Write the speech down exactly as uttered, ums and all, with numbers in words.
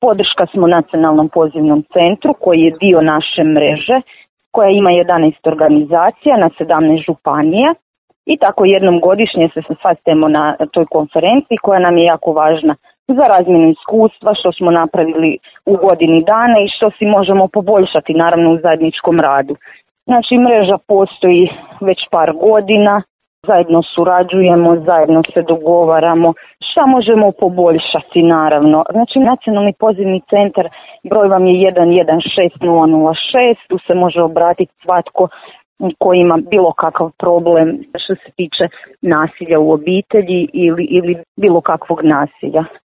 Podrška smo nacionalnom pozivnom centru koji je dio naše mreže koja ima jedanaest organizacija na sedamnaest županija i tako jednom godišnje se sastajemo na toj konferenciji koja nam je jako važna za razmjenu iskustva što smo napravili u godini dana i što si možemo poboljšati naravno u zajedničkom radu. Znači mreža postoji već par godina, zajedno surađujemo, zajedno se dogovaramo šta možemo poboljšati naravno. Znači nacionalni pozivni centar broj vam je jedan jedan šest nula nula šest, tu se može obratiti svatko koji ima bilo kakav problem što se tiče nasilja u obitelji ili, ili bilo kakvog nasilja.